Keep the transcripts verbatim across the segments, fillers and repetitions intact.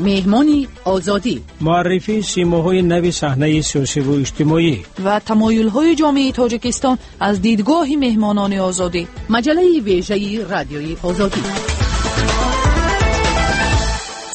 Меҳмони Озодӣ. Муаррифии симоҳои нави саҳнаи сиёсиву иҷтимоӣ ва тамоюлҳои ҷомеаи Тоҷикистон аз дидгоҳи меҳмонони Озодӣ. Маҷаллаи вежаи Радиои Озодӣ.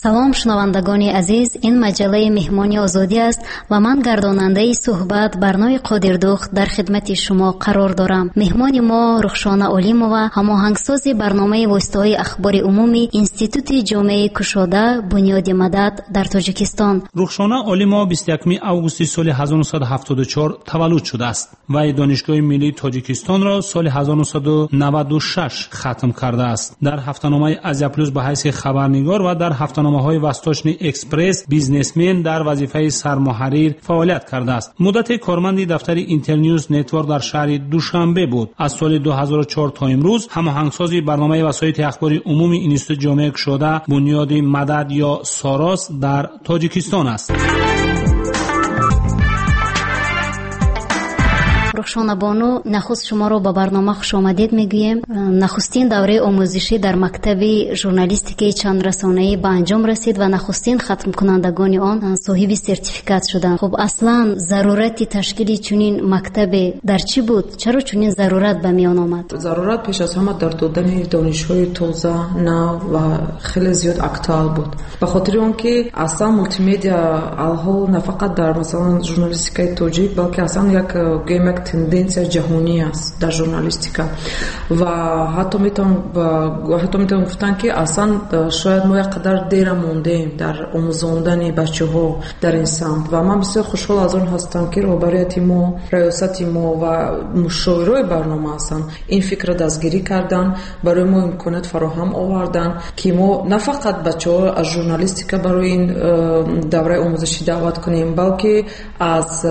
Салом, шунавандагони азиз, ин маҷаллаи Меҳмони Озодӣ аст ва ман гардонандаи суҳбат Барнои Қодирдухт дар хидмати шумо қарор дорам. Меҳмони мо Рухшона Олимова, ҳамоҳангсози барномаи воситаҳои ахбори умумӣ Институти ҷомеаи кушода Бунёди Мадад дар Тоҷикистон. Рухшона Олимова бисту якуми августи соли ҳазору нӯҳсаду ҳафтоду чор таваллуд шудааст ва Донишгоҳи миллии Тоҷикистонро соли ҳазору нӯҳсаду наваду шаш хатм кардааст. Дар ҳафтаномаи Азия Плюс ба ҳайси хабарнигор ва дар ҳафтаномаҳои Восточный Экспресс, Бизнесмен дар вазифаи сармуҳаррир фаъолият кардааст. Муддати корманди дафтари Интерньюз Нетворк дар шаҳри Душанбе буд. Аз соли ду ҳазору чор то имрӯз ҳамоҳангсози барномаи васоити ахбори умумии Институти ҷомеаи кушода Бунёди Мадад ё Сорос дар Тоҷикистон аст. Рухшона бону, нахуст шуморо ба барнома хушомадед мегӯем. Нахустин давраи омӯзишӣ дар мактаби журналистикаи чандрасонаӣ ба анҷом расид ва нахустин хатмкунандагони он соҳиби сертификат шуданд. Хуб, аслан зарурати ташкили чунин мактабе дар чӣ буд? Чаро чунин зарурат ба миён омад? Зарурат пеш аз ҳама дар додани донишҳои тоза, нав ва хеле зиёд актуал буд. Ба хотири он ки аслан мултимедиа алҳол на фақат дар масалан журналистикаи тоҷик, балки аслан як гӯем як тенденсия ҷаҳонӣ аст дар журналистика ва ҳатто метавон гуфтан ки аслан шояд мо як қадар дера мондем дар омӯзондани бачаҳо дар ин самт ва ман бисёр хушҳол аз он ҳастам ки роҳбарияти мо, раёсати мо ва мушовирои барнома ҳастанд ин фикрро дастгирӣ кардан, барои мо имконият фароҳам овардан ки мо на фақат бачаҳо аз журналистика барои ин давраи омӯзишӣ даъват кунем, балки аз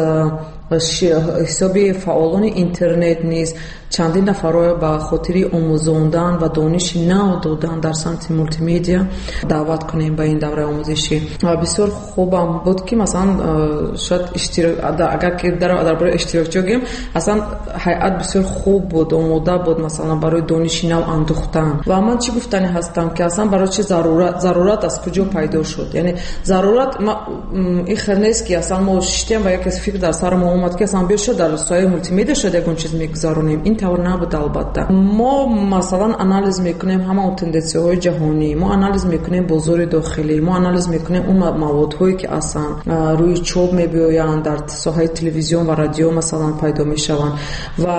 ҳисоби фаъолони интернет низ чандин нафарро ба хотири омӯзондан ва дониши нав додан дар самти мултимедиа даъват кунем ба ин давраи омӯзишӣ. Ва бисёр хубам буд ки масалан шояд агар ки дар бораи иштирокчиҳо гӯем, аслан ҳайат бисёр хуб буд, омода буд масалан барои дониши нав андӯхтан. Ва ман чӣ гуфтанӣ ҳастам ки аслан барои чӣ зарурат зарурат аз куҷо пайдо шуд? Яъне зарурат ин хел нест ки аслан мо шиштем ва яке фикр дар сари мо омад ки аслан биё шуд дар соҳаи мултимедиа шояд ягон чиз мегузаронем. Ин тавр набуд албатта. Мо масалан анализ мекунем ҳама он тенденсияҳои ҷаҳонӣ, мо анализ мекунем бозори дохилӣ, мо анализ мекунем он маводҳое ки аслан рӯи чоп мебиёянд, дар соҳаи телевизион ва радио масалан пайдо мешаванд. Ва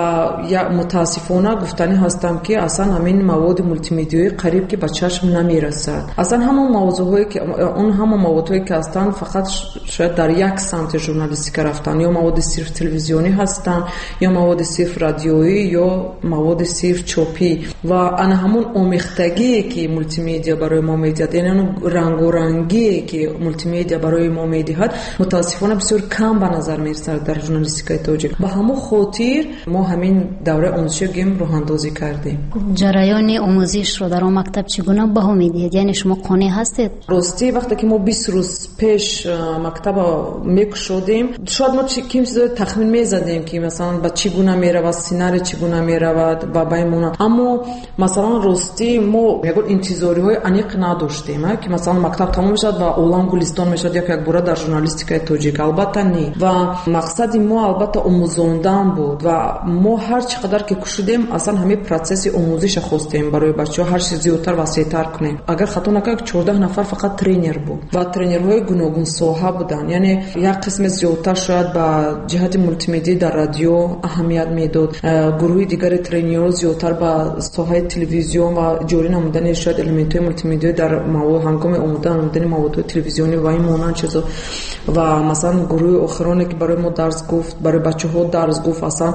мутаассифона гуфтанӣ ҳастам ки аслан ҳамин маводи мултимедиаӣ қариб ки ба чашм намерасад. Аслан ҳама мавзӯъҳое ки он ҳама маводҳое ки ҳастанд фақат шояд дар як самти журналистика рафтанд, ё маводи сирф телевизионӣ ҳастанд, ё маводи сирф радиоӣ, ё маводи сирф чопӣ. Ва ана ҳамон омехтагие ки мултимедиа барои мо медиҳад, яъне он рангорангие ки мултимедиа барои мо медиҳад, мутаассифона бисёр кам ба назар мерасад дар журналистикаи тоҷик. Ба ҳамон хотир мо ҳамин давраи омӯзишӣ гем роҳандозӣ кардем. Ҷараёни омӯзишро дар он мактаб чӣ гуна баҳо медиҳед? Яъне шумо қонеъ ҳастед? Ростӣ вақте ки мо бист рӯз пеш мактаба мекушодем, шояд мо ким чизое тахмин мезадем ки масалан ба чӣ гуна меравад, сценарий чӣ гуна меравад ва ба ин монанд. Аммо масалан ростӣ мо ягон интизориҳои аниқ надоштем, ки масалан мактаб тамом мешавад ва олам гулистон мешавад як якбора дар журналистикаи тоҷик. Албатта не. Ва мақсади мо албатта омӯзондан буд ва мо ҳар чӣ қадар ки кушудем, аслан ҳамин процесси омӯзиша хостем барои бачаҳо ҳар чиз зиёдтар васеътар кунем. Агар хато накунам, чордаҳ нафар фақат тренер буд ва тренерҳои гуногунсоҳа буданд. Яъне як қисме зиёдтар шояд ба ҷиҳати мултимедиа дар радио аҳамият медод, гурӯҳи дигари тренерҳо зиёдтар ба соҳаи телевизион ва ҷорӣ намудани шояд элементҳои мултимедиа дар ҳангоми омода намудани маводҳои телевизионӣ ва ин монанд чизо. Ва масалан гурӯҳи охироне ки барои мо дарс гуфт, барои бачаҳо дарс гуфт, аслан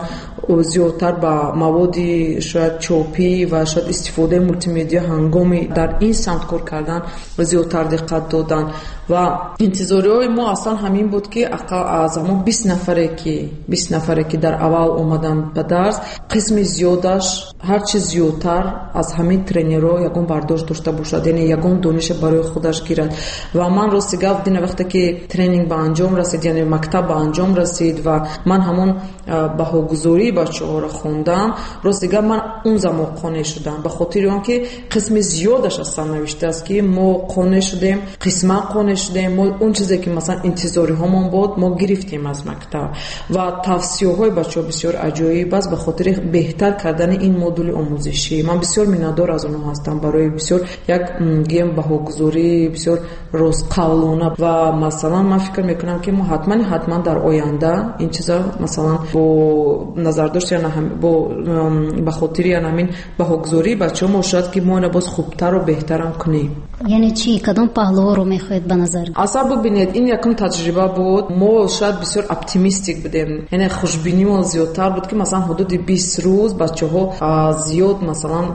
зиёдтар ба маводи шояд чопӣ ва шояд истифодаи мултимедиа ҳангоми дар ин самт кор кардан зиёдтар диққат доданд. Ва интизориҳои мо аслан ҳамин буд ки аз ҳамон бист нафаре ки бист нафаре ки дар аввал омаданд ба дарс, Қисми зиёдаш ҳарчи зиёдтар аз ҳамин тренерҳо ягон бардошт дошта бошад, яъне ягон дониша барои худаш гирад. Ва ман рости гап дина вақте ки тренинг ба анҷом расид, яъне мактаб ба анҷом расид ва ман ҳамон баҳогузории бачаҳоро хондам, рости гап ман он замон қонеъ шудам, ба хотири он ки қисми зиёдаш аслан навиштааст ки мо қонеъ шудем, қисман қонеъ шудем, мо он чизе ки масалан интизориҳомон буд мо гирифтем аз мактаб. Ва тавсияҳои бачаҳо бисёр аҷоиб аст ба хотири беҳтар кардани ин модули омӯзишӣ. Ман бисёр миннатдор аз онҳо ҳастам барои бисёр як гем баҳогузории бисёр ростқавлона. Ва масалан ман фикр мекунам ки мо ҳатман ҳатман дар оянда ин чиза масалан бо назардошт яна бо ба хотири яна ҳамин баҳогузории бачаҳо мо шояд ки мо ина боз хубтару беҳтарам кунем. Яъне чӣ? Кадом паҳлуҳоро мехоҳед ба назар? Аслан бибинед, ин якум таҷриба буд. Мо шояд бисёр оптимистик будем, яъне хушбинимон зиёдтар буд ки масалан ҳудуди бист рӯз бачаҳо зиёд масалан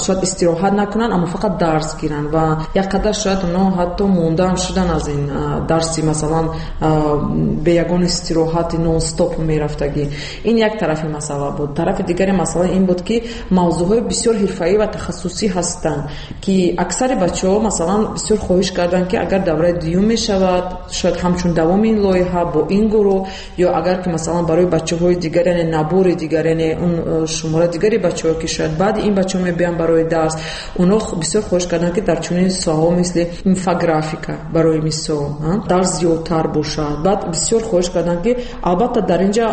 шояд истироҳат накунанд, аммо фақат дарс гиранд ва як қадар шояд онҳо ҳатто мондаам шудан аз ин дарси масалан бе ягон истироҳати нон-стоп мерафтагӣ. Ин як тарафи масъала буд. Тарафи дигари масъала ин буд ки мавзӯъҳои бисёр ҳирфаӣ ва тахассусӣ ҳастанд ки аксари бачаҳо масалан бисёр хоҳиш карданд ки агар давраи дуюм мешавад, шояд ҳамчун давоми ин лоиҳа бо ин гурӯҳ, ё агар ки масалан барои бачаҳои дигар, яъне набори дигар, яъне он шумораи дигари бачаҳо ки шояд баъди ин бачаҳо мебиёнд барои дарс, онҳо бисёр хоҳиш карданд ки дар чунин соҳаҳо мисли инфографика барои мисол дарс зиёдтар бошад. Баъд бисёр хоҳиш карданд ки албатта дар инҷа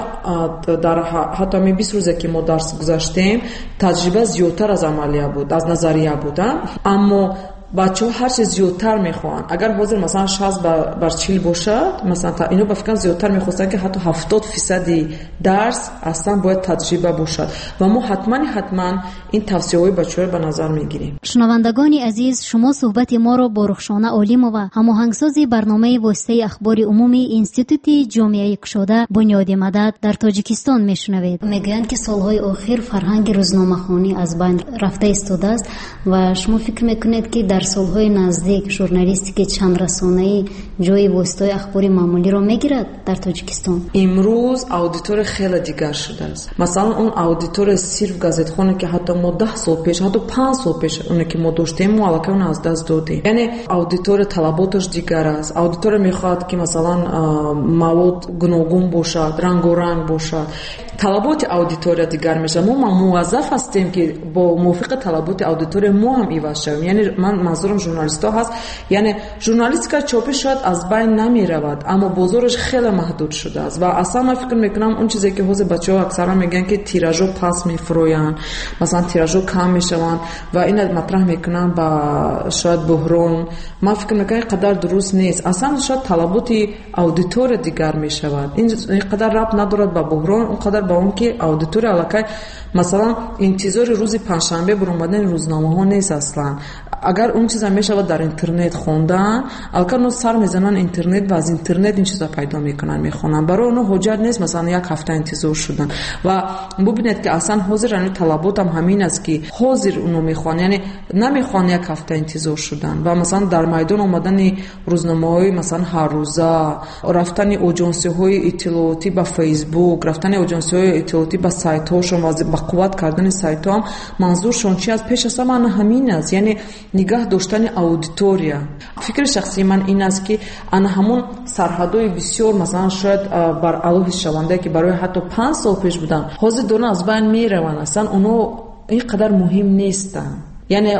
дар ҳатто ҳамин бист рӯзе ки мо дарс гузаштем, таҷриба зиёдтар аз амалия буд, аз назария буд, аммо бачаҳо ҳарчи зиёдтар мехоҳанд. Агар ҳозир масалан шаст бар чил бошад, масалан ино ба фикрам зиёдтар мехостанд ки ҳатто ҳафтод фисади дарс аслан бояд таҷриба бошад ва мо ҳатман ҳатман ин тавсияҳои бачаҳоро ба назар мегирем. Шунавандагони азиз, шумо суҳбати моро бо Рухшона Олимова, ҳамоҳангсози барномаи воситаи ахбори умумии Институти ҷомеаи кушода Бунёди Мадад дар Тоҷикистон мешунавед. Мегӯянд ки солҳои охир фарҳанги рӯзномахонӣ аз байн рафта истодааст ва шумо фикр мекунед ки дар солҳои наздик журналистики чандрасонаӣ ҷои воситаҳои ахбори маъмулиро мегирад дар Тоҷикистон? Имрӯз аудитория хеле дигар шудааст. Масалан он аудитория сирф газетхоне ки ҳатто мо даҳ сол пеш, ҳатто панҷ сол пеш оне ки мо доштем, мо аллакай онро аз даст додем. Яъне аудитория талаботаш дигар аст. Аудитория мехоҳад ки масалан мавод гуногун бошад, рангоранг бошад. Талаботи аудитория дигар мешавад. Мо муваззаф ҳастем ки бо мувофиқи талаботи аудитория мо ҳам иваз шавем. Яъне ман манзурам журналистҳо ҳаст. Яъне журналистика чопӣ шояд аз байн намеравад, аммо бозораш хеле маҳдуд шудааст ва аслан ман фикр мекунам он чизе ки ҳозир бачаҳо аксаран мегӯянд ки тиражҳо пас мефурӯянд, масалан тиражҳо кам мешаванд ва инро матраҳ мекунанд ба шояд буҳрон. Ман фикр мекунам ин қадар дуруст нест. Аслан шояд талаботи аудитория дигар мешавад. Ин қадар рабт надорад ба буҳрон, он қадар ба он ки аудитория аллакай масалан интизори рӯзи панҷшанбе баромадани рӯзномаҳо нест аслан. Агар он чиза мешавад дар интернет хондан, аллакай онҳо сар мезананд интернет ва аз интернет ин чиза пайдо мекунанд, мехонанд. Барои онҳо ҳоҷат нест масалан як ҳафта интизор шудан. Ва бубинед ки аслан ҳозир ҳамин талаботам ҳамин аст ки ҳозир онҳо мехоҳанд, яъне намехоҳанд як ҳафта интизор шудан ва масалан дар майдон омадани рӯзномаҳои масалан ҳаррӯза, рафтани оҷонсиҳои иттилоотӣ ба Фейсбук, рафтани оҷонсиҳои иттилоотӣ ба сайтҳошон ва ба қувват кардани сайтҳо ҳам манзуршон чи аст? Пеш аз ҳама ҳамин аст, яъне нигаҳ доштани аудитория. Фикри шахсии ман ин аст ки ана ҳамон сарҳадҳои бисёр масалан шояд бар аллоҳ ҳисшавандае ки барои ҳатто панҷ сол пеш буданд, ҳозир дона аз байн мераванд. Аслан онҳо ин қадар муҳим нестанд. Яъне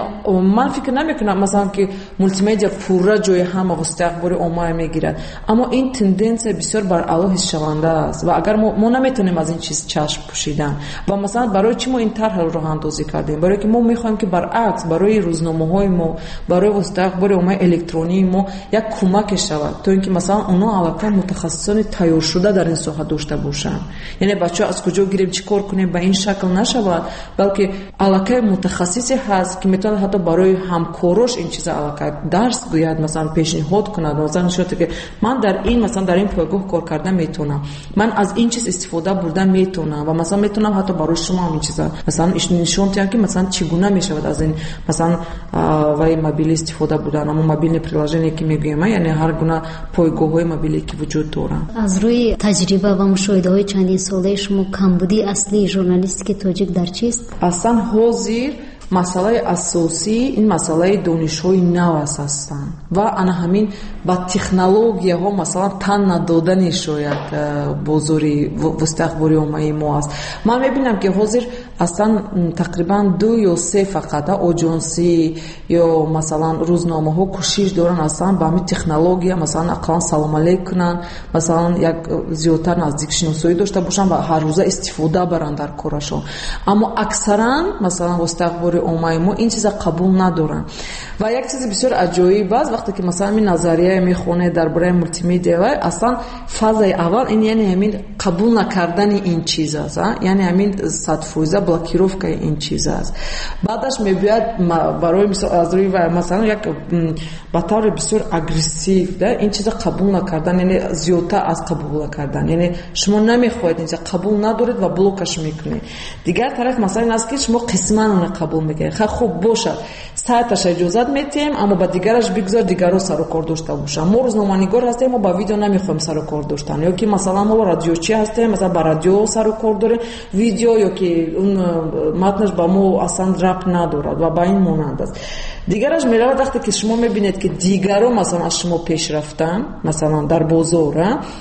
ман фикр намекунам масалан ки мултимедиа пурра ҷои ҳама воситаи ахбори омма мегирад, аммо ин тенденсия бисёр бар аллоҳ ҳисшаванда аст ва агар мо, мо наметавонем аз ин чиз чашм пӯшидан. Ва масалан барои чӣ мо ин тарҳро роҳандозӣ кардем? Барои ки мо мехоҳем ки баръакс барои рӯзномаҳои мо, барои воситаи ахбори оммаи электронии мо як кӯмаке шавад, то ин ки масалан онҳо аллакай мутахассисони тайёршуда дар ин соҳа дошта бошанд. Яъне бачаҳо аз куҷо гирем, чӣ кор кунем ба ин шакл нашавад, балки аллакай мутахассисе ҳаст ки метавонад ҳатто барои ҳамкорош ин чиза аллакай дарс гӯяд, масалан пешниҳод кунад, масалан нишон диҳад, ки ман дар ин масалан дар ин пойгоҳ кор карда метавонам, ман аз ин чиз истифода бурда метавонам ва масалан метавонам ҳатто барои шумо ҳам ин чиза масалан нишон диҳам, ки масалан чӣ гуна мешавад аз ин масалан вай мобилӣ истифода бурдан, ҳамон мобилни приложение ки мегӯем, яъне ҳар гуна пойгоҳҳои мобилӣ ки вуҷуд доранд. Аз рӯи таҷриба ва мушоҳидаҳои чандинсолаи шумо камбудии аслии журналистики тоҷик дар чист? Аслан ҳозир масъалаи асосӣ ин масъалаи донишҳои нав аст ҳастанд ва ана ҳамин ба технологияҳо масалан тан надодани шояд бозори воситаи ахбори оммаи мо аст. Ман мебинам, ки ҳозир аслан тақрибан ду ё се фақат оҷонсӣ ё масалан рӯзномаҳо кӯшиш доранд аслан ба ҳамин технология масалан ақаллан салом алейк кунанд, масалан як зиёдтар наздикшиносоӣ дошта бошанд ва ҳаррӯза истифода баранд дар корашон. Аммо аксаран масалан воситаи ахбори оммаи мо ин чиза қабул надоранд. Ва як чизи бисёр аҷоиб аст, вақте ки масалан ин назария мехонед дар бораи мултимедиа, вай аслан фазаи аввал ин яъне ҳамин қабул накардани ин чиз аст, яъне ҳамин садфоиза блокировкаи ин чиз аст. Баъдаш мебиёяд барои мисол аз рӯи вай масалан як ба таври бисёр агрессив да ин чиза қабул накардан, яъне зиёдтар аз қабул накардан, яъне шумо намехоҳед ин чиза қабул надоред ва блокаш мекунед. Дигар тараф масалан ин аст, ки шумо қисман онро қабул мекунед. Ха хуб бошад, сайташа иҷозат метиҳем, аммо ба дигараш бигзор дигарро сарукор дошта бошанд. Мо рӯзноманигор ҳастем, мо ба видео намехоҳем сарукор доштан, ё ки масалан мо радиочи ҳастем, масалан ба радио сарукор дорем, видео ё ки он матнаш ба мо аслан рабт надорад ва ба ин монанд аст. Дигараш меравад вақте ки шумо мебинед, ки дигарро масалан аз шумо пеш рафтан, масалан дар бозор,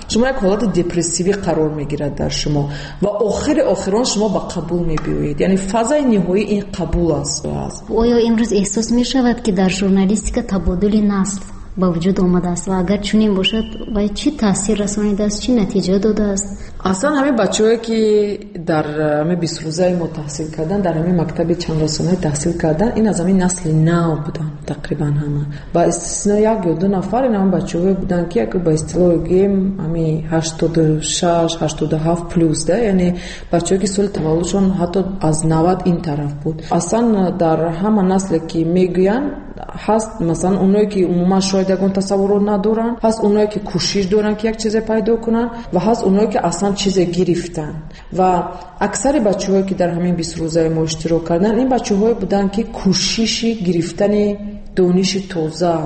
шумо як ҳолати депрессивӣ қарор мегирад дар шумо ва охири охирон шумо ба қабул мебиёед. Яъне фазаи ниҳоӣ ин қабул аст. Оё имрӯз эҳсос мешавад, ки дар журналистика табодули насл ба вуҷуд омадааст ва агар чунин бошад, вай чӣ таъсир расонидааст, чӣ натиҷа додааст? Аслан ҳамин бачаҳое, ки дар ҳамин бистрӯзаи мо таҳсил карданд, дар ҳамин мактаби чандрасонаи таҳсил карданд, ин аз ҳамин насли нав буданд тақрибан ҳама. Ба истисно як ё ду нафар ин ҳамин бачаҳое буданд, ки як ба истилоҳ гӯем ҳамин ҳаштоду шаш, ҳаштоду ҳафт плюс, да, яъне бачаҳое, ки соли таваллудшон ҳатто аз навад ин тараф буд. Аслан дар ҳама насле, ки мегӯянд, ҳаст масалан оное, ки умуман шояд ягон тасаввурот надоранд, ҳаст оное, ки кӯшиш доранд, ки як чизе пайдо кунанд ва ҳаст оное, ки аслан чизе гирифтанд. Ва аксари бачаҳое, ки дар ҳамин бист рӯзаи мо иштирок карданд, ин бачаҳое буданд, ки кӯшиши гирифтани дониши тоза,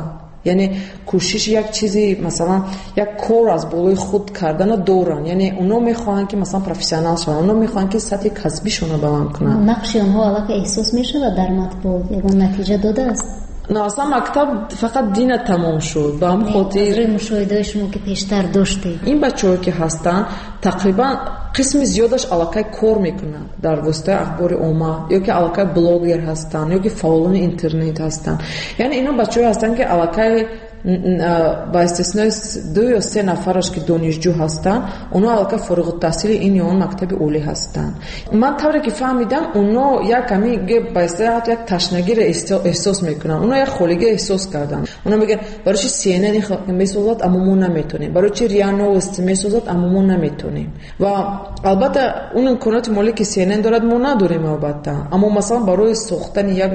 яъне кӯшиши як чизи масалан як кор аз болои худ кардана доранд. Яъне оно мехоҳанд, ки масалан профессионал шаванд, оно мехоҳанд, ки сатҳи касбишонро баланд кунанд. Нақши онҳо аллакай эҳсос мешавад дар матбуот, ягон натиҷа додааст? На, аслан мактаб фақат дина тамом шуд. Ба ҳамин хотир аз рӯи мушоҳидаҳои шумо, ки пештар доштед, ин бачаҳое, ки ҳастанд, тақрибан қисми зиёдаш аллакай кор мекунанд дар воситаи ахбори омма, ё ки аллакай блогер ҳастанд, ё ки фаъолони интернет ҳастанд. Яъне ино бачаҳое ҳастанд, ки аллакай ба истиснои ду ё се нафараш, ки донишҷӯ ҳастанд, онҳо аллакай фориғуттаҳсили ин ё он мактаби олӣ ҳастанд. Ман тавре ки фаҳмидам, онҳо як ҳамин ба истилоҳ ҳатто як ташнагиро эҳсос мекунанд, онҳо як холигӣ эҳсос карданд. Онҳо мегӯянд, барои чи Си Эн Эн месозад, аммо мо наметонем, барои чи РИА Новости месозад, аммо мо наметонем. Ва албатта он имконоти молӣ, ки Си Эн Эн дорад, мо надорем албатта. Аммо масалан барои сохтани як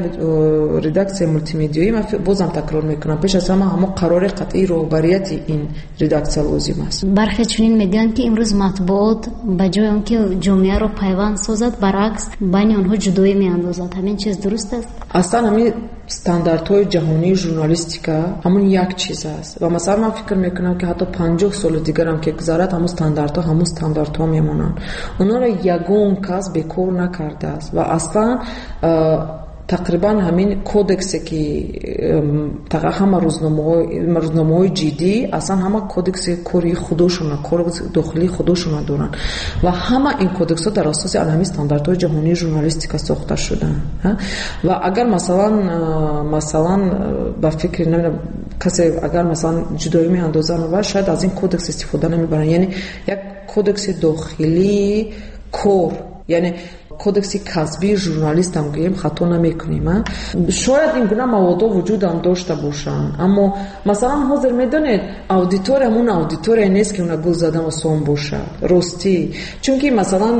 редаксияи мултимедиоӣ, ман бозам такрор мекунам, пеш аз ҳама ҳамо қарори қатъии роҳбарияти ин редаксия лозим аст. Бархе чунин мегӯянд, ки имрӯз матбуот ба ҷои он ки ҷомеаро пайванд созад, баръакс байни онҳо ҷудоӣ меандозад. Ҳамин чиз дуруст аст? Аслан ҳамин стандартҳои ҷаҳонии журналистика ҳамон як чиз аст ва масалан ман фикр мекунам, ки ҳатто панҷоҳ соли дигарам ки гузарад, ҳамон стандартҳо ҳамон стандартҳо мемонанд. Онҳоро ягон кас бекор накардааст ва аслан тақрибан ҳамин кодексе, ки ҳама рӯзномаҳои ҷиддӣ аслан ҳама кодекси кори худошона, кори дохилии худошона доранд ва ҳама ин кодексҳо дар асоси ҳамин стандартҳои ҷаҳонии журналистика сохта шуданд. Ва агар масалан масалан ба фикри намедонам касе агар масалан ҷудоӣ меандозанд ва шояд аз ин кодекс истифода намебаранд, яъне як кодекси дохилии кор, яъне Кодекси касбии журналистам гӯем, хато намекунем. Шояд ин гуна маводҳо вуҷудам дошта бошанд, аммо масалан ҳозир медонед, аудитория ҳамун аудитория нест, ки уна гул задан осон бошад. Ростӣ, чунки масалан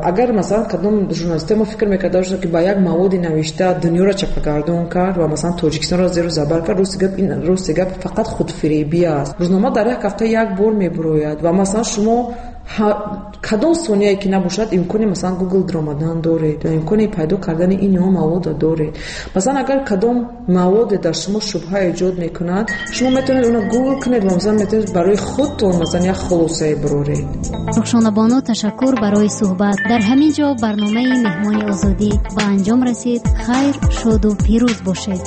агар масалан кадом журналистҳо мо фикр мекарда бошанд, ки ба як маводи навишта дунёро чапагардон кард ва масалан Тоҷикистонро зеру забар кард, рости гап, ин рости гап фақат худфиребӣ аст. Рӯзнома дар як ҳафта як бор мебурояд ва масалан шумо кадом сонияе ки набошад, имкони масалан Google даромадан доред ва имкони пайдо кардани ин ё мавода доред. Масалан агар кадом маводе дар шумо шубҳа эҷод мекунад, шумо метавонед онро Google кунед ва масалан метавонед барои худтон масалан як хулосае бироред. Рухшонабону, ташаккур барои суҳбат. Дар ҳамин ҷо барномаи Меҳмони Озодӣ ба анҷом расид. Хайр, шоду пирӯз бошед.